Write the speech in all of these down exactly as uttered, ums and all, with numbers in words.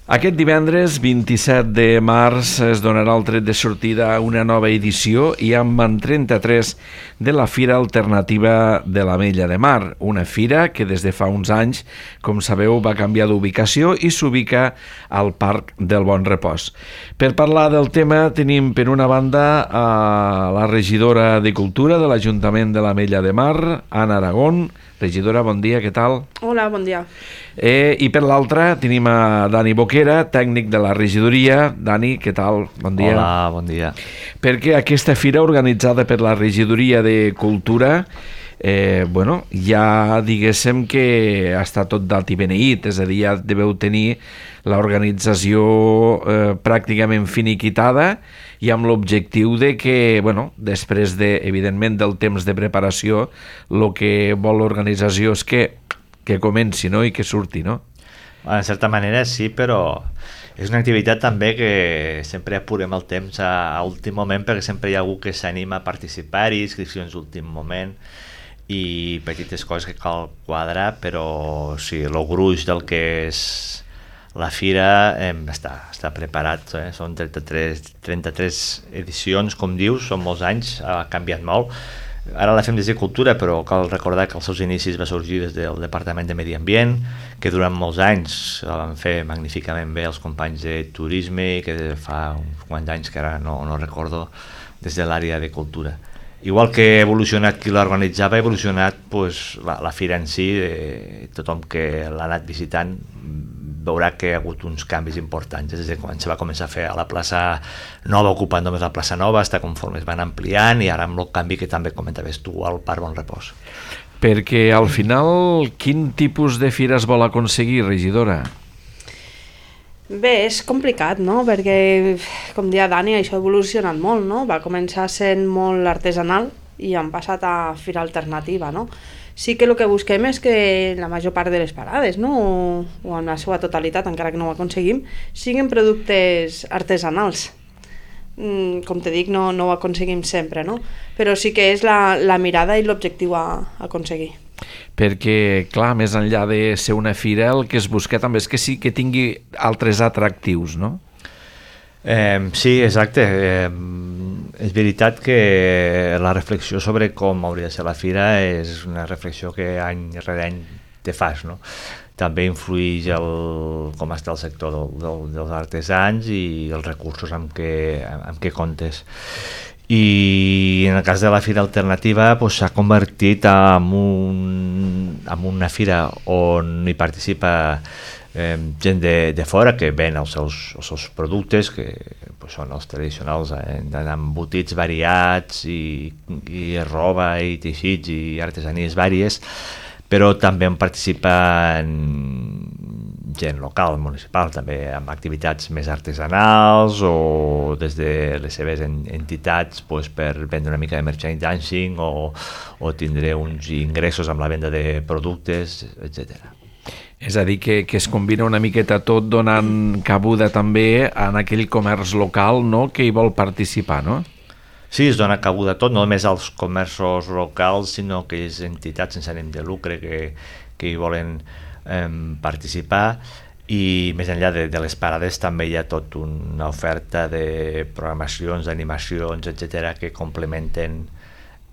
Aquest divendres vint-i-set de març es donarà el tret de sortida a una nova edició i amb en trenta-tres de la Fira Alternativa de l'Ametlla de Mar, una fira que des de fa uns anys, com sabeu, va canviar d'ubicació i s'ubica al Parc del Bon Repòs. Per parlar del tema tenim per una banda a la regidora de Cultura de l'Ajuntament de l'Ametlla de Mar, Anna Aragón. Regidora, bon dia, què tal? Hola, bon dia. Eh, I per l'altra tenim a Dani Boquera, tècnic de la regidoria. Dani, què tal? Bon dia. Hola, bon dia. Perquè aquesta fira organitzada per la regidoria de Cultura, eh, bueno, ja diguéssim que està tot dalt i beneït, és a dir, ja deveu tenir l'organització eh, pràcticament finiquitada i amb l'objectiu de que, bueno, després de, evidentment, del temps de preparació, el que vol l'organització és que, que comenci, no?, i que surti, no? En certa manera sí, però és una activitat també que sempre apurem el temps a, a últim moment, perquè sempre hi ha algú que s'anima a participar-hi, inscripcions d'últim moment i petites coses que cal quadrar, però sí, el gruix del que és la fira eh, està, està preparat, eh? Són trenta-tres, trenta-tres edicions, com dius, són molts anys, ha canviat molt. Ara la fem des de Cultura, però cal recordar que els seus inicis va sorgir des del Departament de Medi Ambient, que durant molts anys la van fer magníficament bé els companys de Turisme, i que fa uns quants anys que ara no, no recordo, des de l'àrea de Cultura. Igual que ha evolucionat qui l'organitzava, ha evolucionat pues, la, la fira en si, eh, tothom que l'ha anat visitant veurà que hi ha hagut uns canvis importants des de quan se va començar a fer a la plaça Nova, ocupant només la plaça Nova, hasta conforme es van ampliant, i ara amb el canvi que també comentaves tu al Parc Bon Repòs. Perquè al final, quin tipus de fira es vol aconseguir, regidora? Bé, és complicat, no? Perquè, com deia Dani, això ha evolucionat molt, no? Va començar sent molt artesanal i han passat a fira alternativa, no? Sí que el que busquem és que la major part de les parades, no? o, o en la seva totalitat, encara que no ho aconseguim, siguin productes artesanals. Mm, com te dic, no, no ho aconseguim sempre, no? Però sí que és la, la mirada i l'objectiu a, a aconseguir. Perquè, clar, més enllà de ser una fira, el que es busca també és que sí que tingui altres atractius, no? Eh, sí, exacte. Eh, és veritat que la reflexió sobre com hauria de ser la fira és una reflexió que any rere any te fas, no? També influeix el, com està el sector del, del, dels artesans i els recursos amb què, amb què comptes. I en el cas de la fira alternativa pues, s'ha convertit en, un, en una fira on hi participa Eh, gent de, de fora que ven els seus, els seus productes, que pues, són els tradicionals, eh, embotits variats i, i roba i teixits i artesanies vàries, però també en participen gent local, municipal, també amb activitats més artesanals o des de les seves entitats pues, per vendre una mica de merchandising o, o tindre uns ingressos amb la venda de productes, etcètera. És a dir, que, que es combina una miqueta tot donant cabuda també en aquell comerç local, no?, que hi vol participar, no? Sí, es dona cabuda tot, no només als comerços locals, sinó que aquelles entitats sense ànim de lucre que, que hi volen eh, participar, i més enllà de, de les parades també hi ha tot una oferta de programacions, d'animacions, etcètera, que complementen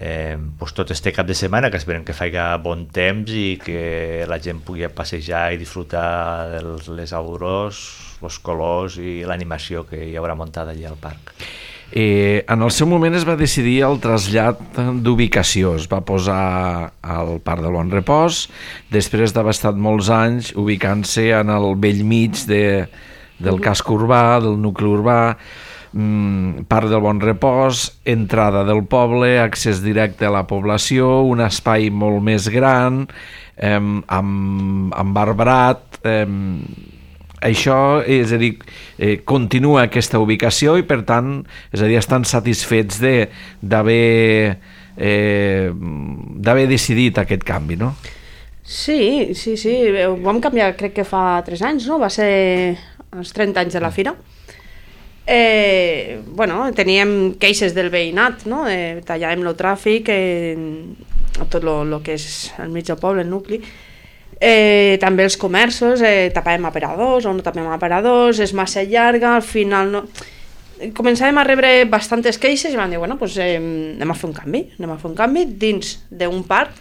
Eh, pues tot este cap de setmana, que esperem que faci bon temps i que la gent pugui passejar i disfrutar de les aurors, els colors i l'animació que hi haurà muntada allà al parc. Eh, en el seu moment es va decidir el trasllat d'ubicació, es va posar al Parc del Bon Repòs, després d'haver estat molts anys ubicant-se en el bell mig de, del casc urbà, del nucli urbà, Parc del Bon Repòs, entrada del poble, accés directe a la població, un espai molt més gran, eh, amb, amb arbrat. Eh, això, és a dir, eh, continua aquesta ubicació i, per tant, és a dir, estan satisfets de, d'haver, eh, d'haver decidit aquest canvi, no? Sí, sí, sí. Ho vam canviar, crec que fa tres anys, no? Va ser els trenta anys de la fira. Eh, bueno, teníem queixes del veïnat, no? Eh, tallàvem el tràfic, eh, tot el que és al mig del poble, el nucli, Eh, també els comerços, eh, tapàvem aparadors o no tapàvem aparadors, és massa llarga, al final no... Començàvem a rebre bastantes queixes i vam dir, bueno, doncs eh, anem a fer un canvi, anem a fer un canvi dins d'un parc.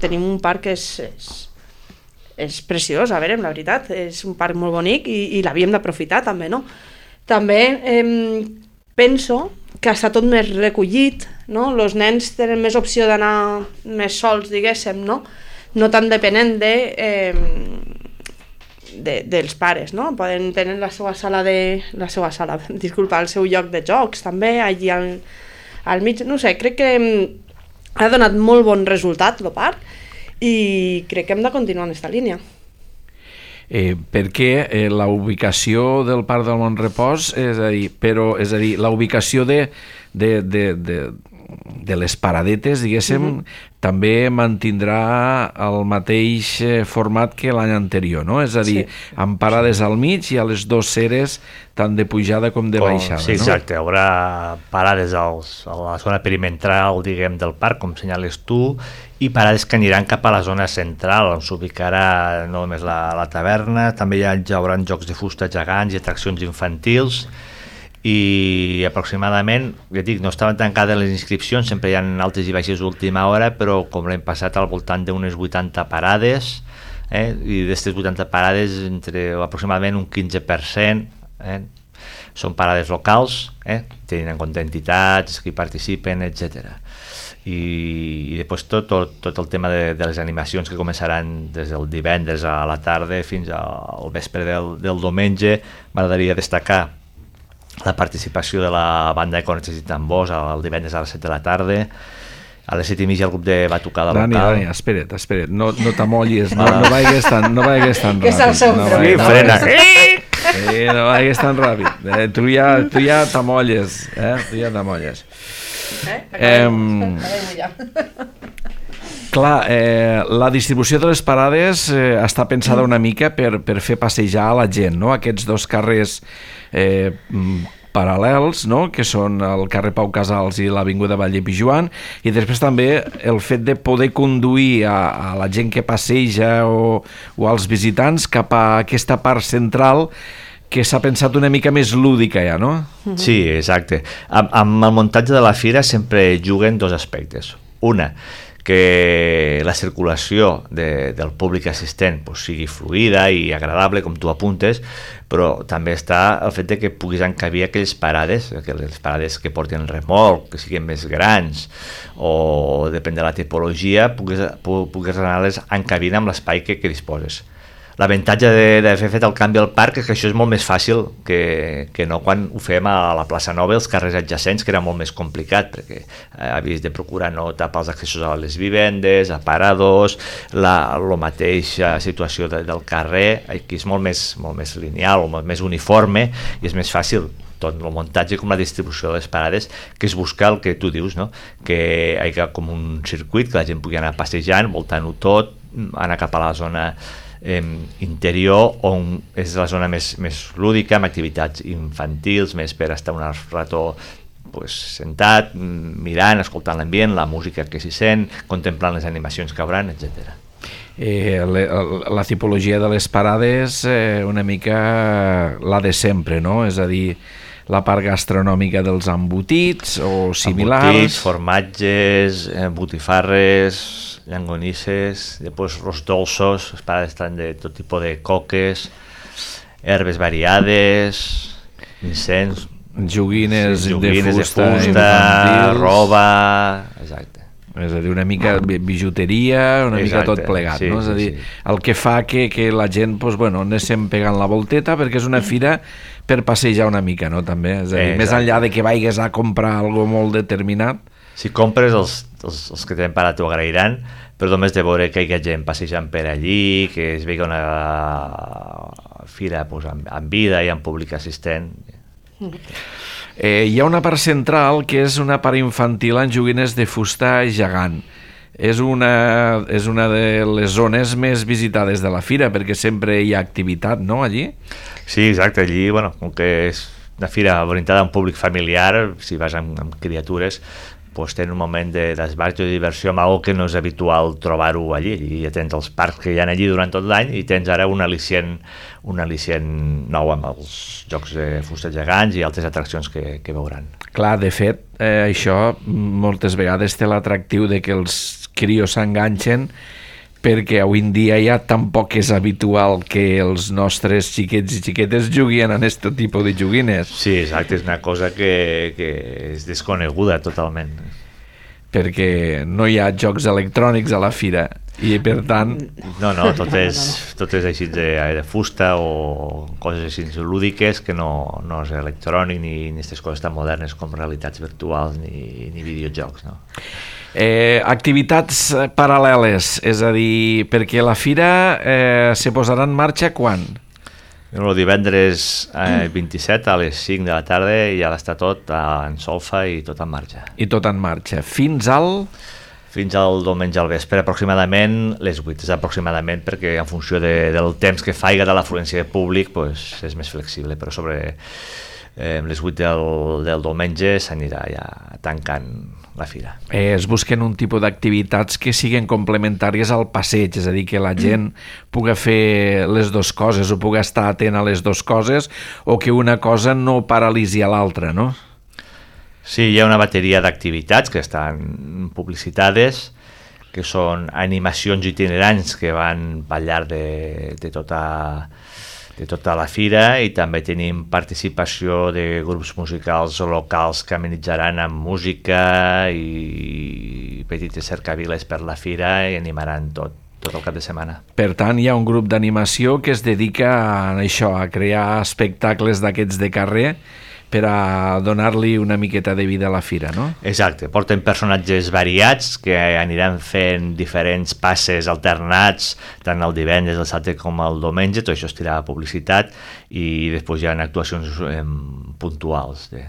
Tenim un parc que és, és, és preciós, a veure, la veritat, és un parc molt bonic i, i l'havíem d'aprofitar també, no? També eh, penso que està tot més recollit, no? Els nens tenen més opció d'anar més sols, diguéssim, no? No tan depenent de, eh, de, dels pares, no? Poden tenir la seva sala de... la seva sala, disculpa, el seu lloc de jocs també, allí al, al mig, no sé, crec que ha donat molt bon resultat el parc i crec que hem de continuar en aquesta línia. Eh, perquè eh, la ubicació del Parc del Mont Repòs, és a dir, però, és a dir, la ubicació de, de, de, de, de les paradetes, diguéssim, uh-huh. també mantindrà el mateix format que l'any anterior, no? És a dir, sí. amb parades al mig i a les dues ceres tant de pujada com de baixada, oh, sí, no? exacte, hi haurà parades als, a la zona perimetral, diguem, del parc, com senyales tu, i parades que aniran cap a la zona central, on s'ubicarà no només la, la taverna, també hi, ha, hi haurà jocs de fusta gegants i atraccions infantils, i aproximadament, ja dic, no estaven tancades les inscripcions, sempre hi ha altes i baixes d'última hora, però com l'hem passat al voltant d'unes vuitanta parades, eh? I d'aquestes vuitanta parades, entre aproximadament un quinze per cent eh? són parades locals, eh? tenint en compte entitats que hi participen, etcètera. I, i després tot, tot, tot el tema de, de les animacions que començaran des del divendres a la tarda fins al vespre del, del diumenge. M'agradaria destacar la participació de la banda de cornets i tambors el divendres a les set de la tarda. A les set i mitja el grup de batucada local. Dani, Dani, espera't, espera't, no, no t'amollis, no, no vagis tan, no vagis tan ràpid. Que és el seu no frena. No, frena. Sí, no vagis tan ràpid. Eh, tu ja, tu ja t'amolles, eh? Tu ja t'amolles. Eh? Acabem, eh, ja. Clar, eh, la distribució de les parades eh, està pensada una mica per, per fer passejar a la gent, no? Aquests dos carrers eh, paral·lels, no? Que són el carrer Pau Casals i l'avinguda Valle Pijuan, i després també el fet de poder conduir a, a la gent que passeja o, o als visitants cap a aquesta part central que s'ha pensat una mica més lúdica ja, no? Sí, exacte. Amb, amb el muntatge de la fira sempre juguen dos aspectes. Una, que la circulació de, del públic assistent pues, sigui fluida i agradable, com tu apuntes, però també està el fet de que puguis encabir aquelles parades, aquelles parades que porten remolc, que siguin més grans, o depèn de la tipologia, puguis, puguis anar-les encabint amb l'espai que, que disposes. L'avantatge d'haver fet el canvi al parc és que això és molt més fàcil que, que no quan ho fem a la plaça Nova, els carrers adjacents, que era molt més complicat, perquè havies de procurar no tapar els accessos a les vivendes, a paradors, la, la mateixa situació de, del carrer, aquí és molt més, molt més lineal, molt més uniforme, i és més fàcil tot el muntatge com la distribució de les parades, que es busca el que tu dius, no? Que hi hagi com un circuit, que la gent pugui anar passejant, voltant-ho tot, anar cap a la zona Eh, interior, on és la zona més, més lúdica, amb activitats infantils, més per estar un rato pues, sentat, mirant, escoltant l'ambient, la música que s'hi sent, contemplant les animacions que hauran, etcètera. Eh, le, la tipologia de les parades eh, una mica la de sempre, no? És a dir, la part gastronòmica dels embotits o similars. Embotits, formatges, eh, botifarres, llangonisses, després los dolços, les parades estan de tot tipus de coques, herbes variades, incens, joguines, sí, joguines de fusta, de fusta roba, exacte. És a dir, una mica bijuteria, una exacte, mica tot plegat, sí, no? És a dir, sí, sí. El que fa que, que la gent, pues, bueno, anéssim pegant la volteta, perquè és una fira per passejar una mica, no? També, és a dir, més enllà de que vagis a comprar algo molt determinat. Si compres, els, els, els que tenen parat t'ho agrairan, però només de veure que hi ha gent passejant per allí, que es vegi una fira pues, amb, amb vida i amb públic assistent. Eh, hi ha una part central que és una part infantil en joguines de fusta gegant. És una, és una de les zones més visitades de la fira, perquè sempre hi ha activitat, no, allí? Sí, exacte, allí, bueno, com que és una fira orientada a un públic familiar, si vas amb, amb criatures, pues, tenen un moment de d'esbarjo i de diversió amb algo que no és habitual trobar-ho allí. I ja tens els parcs que hi ha allí durant tot l'any i tens ara un al·licient, un al·licient nou amb els jocs de fusta gegants i altres atraccions que, que veuran. Clar, de fet, eh, això moltes vegades té l'atractiu de que els crios s'enganxen, perquè avui en dia ja tampoc és habitual que els nostres xiquets i xiquetes juguin en aquest tipus de joguines. Sí, exacte, és una cosa que, que és desconeguda totalment. Perquè no hi ha jocs electrònics a la fira i per tant... No, no, tot és, tot és així de, de fusta o coses així lúdiques que no, no és electrònic ni aquestes coses tan modernes com realitats virtuals ni, ni videojocs, no? Eh, activitats paral·leles, és a dir, perquè la fira eh, se posarà en marxa quan? El divendres eh, vint-i-set a les cinc de la tarda ja està tot en solfa i tot en marxa. I tot en marxa. Fins al... Fins al diumenge al vespre, aproximadament les vuit, és aproximadament perquè en funció de, del temps que faiga de l'afluència de públic pues, és més flexible, però sobre eh, les vuit del, del diumenge s'anirà ja tancant la fira. Eh, es busquen un tipus d'activitats que siguin complementàries al passeig, és a dir, que la gent pugui fer les dues coses o pugui estar atent a les dues coses o que una cosa no paralitzi a l'altra, no? Sí, hi ha una bateria d'activitats que estan publicitades, que són animacions itinerants que van al llarg de, de tota de tota la fira i també tenim participació de grups musicals locals que amenitzaran amb música i petites cercaviles per la fira i animaran tot, tot el cap de setmana. Per tant, hi ha un grup d'animació que es dedica a això, a crear espectacles d'aquests de carrer per a donar-li una miqueta de vida a la fira, no? Exacte, porten personatges variats que aniran fent diferents passes alternats tant el divendres, el dissabte com el diumenge, tot això es tirarà a publicitat i després hi ha actuacions eh, puntuals de...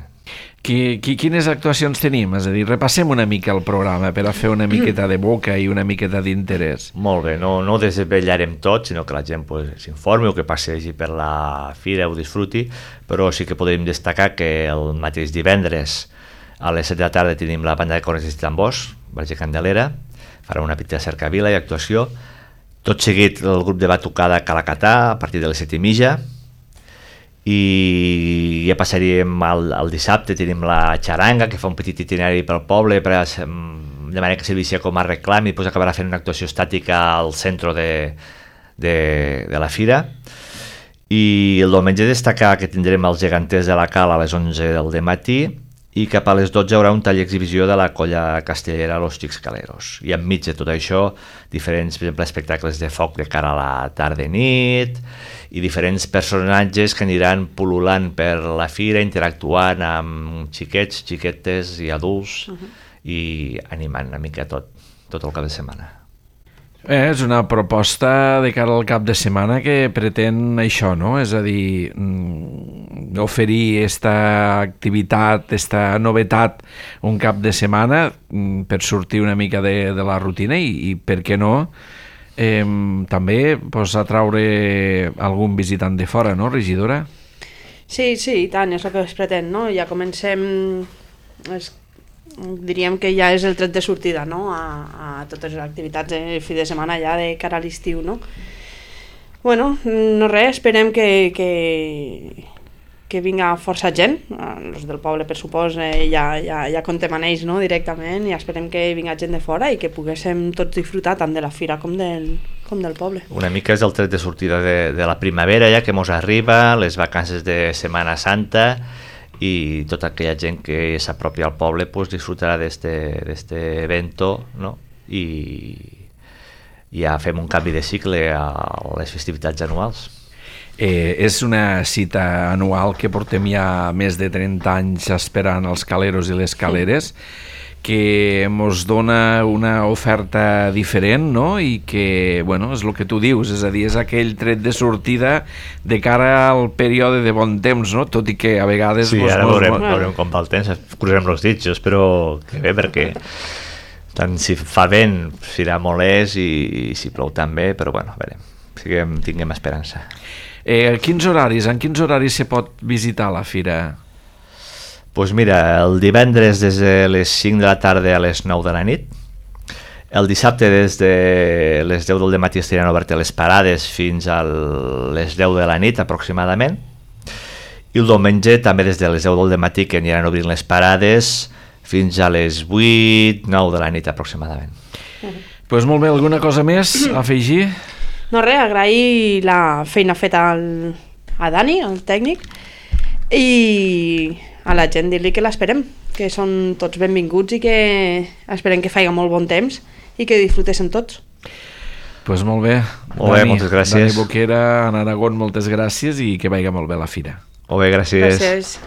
Qui, qui, quines actuacions tenim? És a dir, repassem una mica el programa per a fer una miqueta de boca i una miqueta d'interès. Molt bé, no, no ho desvetllarem tot, sinó que la gent pues, s'informi o que passegi per la fira o disfruti, però sí que podem destacar que el mateix divendres a les set de la tarda tenim la banda de cornets i tambors, Verge Candelera, farà una petita cercavila i actuació. Tot seguit el grup de batucada Calacatà a partir de les set i mitja, i ja passaríem al, al dissabte, tenim la xaranga que fa un petit itinerari pel poble per a, de manera que servicia com a reclam i després acabarà fent una actuació estàtica al centre de, de, de la fira. I el diumenge destacar que tindrem els geganters de la Cal a les onze del matí i cap a les dotze hi haurà un tall exhibició de la colla castellera Los Xixcaleros. I enmig de tot això, diferents, per exemple, espectacles de foc de cara a la tarda i nit i diferents personatges que aniran pul·lulant per la fira, interactuant amb xiquets, xiquetes i adults uh-huh. i animant una mica tot, tot el cap de setmana. Eh, és una proposta de cara al cap de setmana que pretén això, no? És a dir, oferir aquesta activitat, aquesta novetat un cap de setmana per sortir una mica de, de la rutina i, i per què no, eh, també pues, atraure algun visitant de fora, no, regidora? Sí, sí, i tant, és el que es pretén, no? Ja comencem... És... diríem que ja és el tret de sortida, no? a, a totes les activitats de fi de setmana ja de cara a l'estiu, no? Bueno, no res, esperem que, que, que vinga força gent, els del poble per supòs eh, ja, ja, ja contem amb ells, no? Directament, i esperem que vinga gent de fora i que poguéssim tots disfrutar tant de la fira com del, com del poble. Una mica és el tret de sortida de, de la primavera ja que mos arriba, les vacances de Setmana Santa i tota aquella gent que s'apropi al poble pues, disfrutarà d'este evento, no? I ja fem un canvi de cicle a les festivitats anuals. Eh, és una cita anual que portem ja més de trenta anys esperant els caleros i les caleres, que ens dona una oferta diferent, no? I que, bueno, és el que tu dius, és a dir, és aquell tret de sortida de cara al període de bon temps, no? Tot i que a vegades... Sí, mos, ara mos, veurem, mos... veurem com va el temps, cruzem els dits, jo espero que bé, perquè tant si fa vent serà molest i, i si plou també, però bueno, a veure, siguem, tinguem esperança. Eh, quins horaris, en quins horaris se pot visitar la fira? Pues mira, el divendres des de les cinc de la tarda a les nou de la nit, el dissabte des de les deu del matí estaran obertes les parades fins a les deu de la nit aproximadament, i el diumenge també des de les deu del matí que aniran obrint les parades fins a les vuit, nou de la nit aproximadament. Doncs pues molt bé, alguna cosa més a afegir? No res, agrair la feina feta al, a Dani, el tècnic, i a la gent dir-li que l'esperem, que són tots benvinguts i que esperem que faci molt bon temps i que disfrutessin tots. Doncs pues molt bé. Molt bé, Dani, moltes gràcies. Dani Boquera, en Aragón, moltes gràcies i que vagi molt bé la fira. Molt bé, gràcies. Gràcies.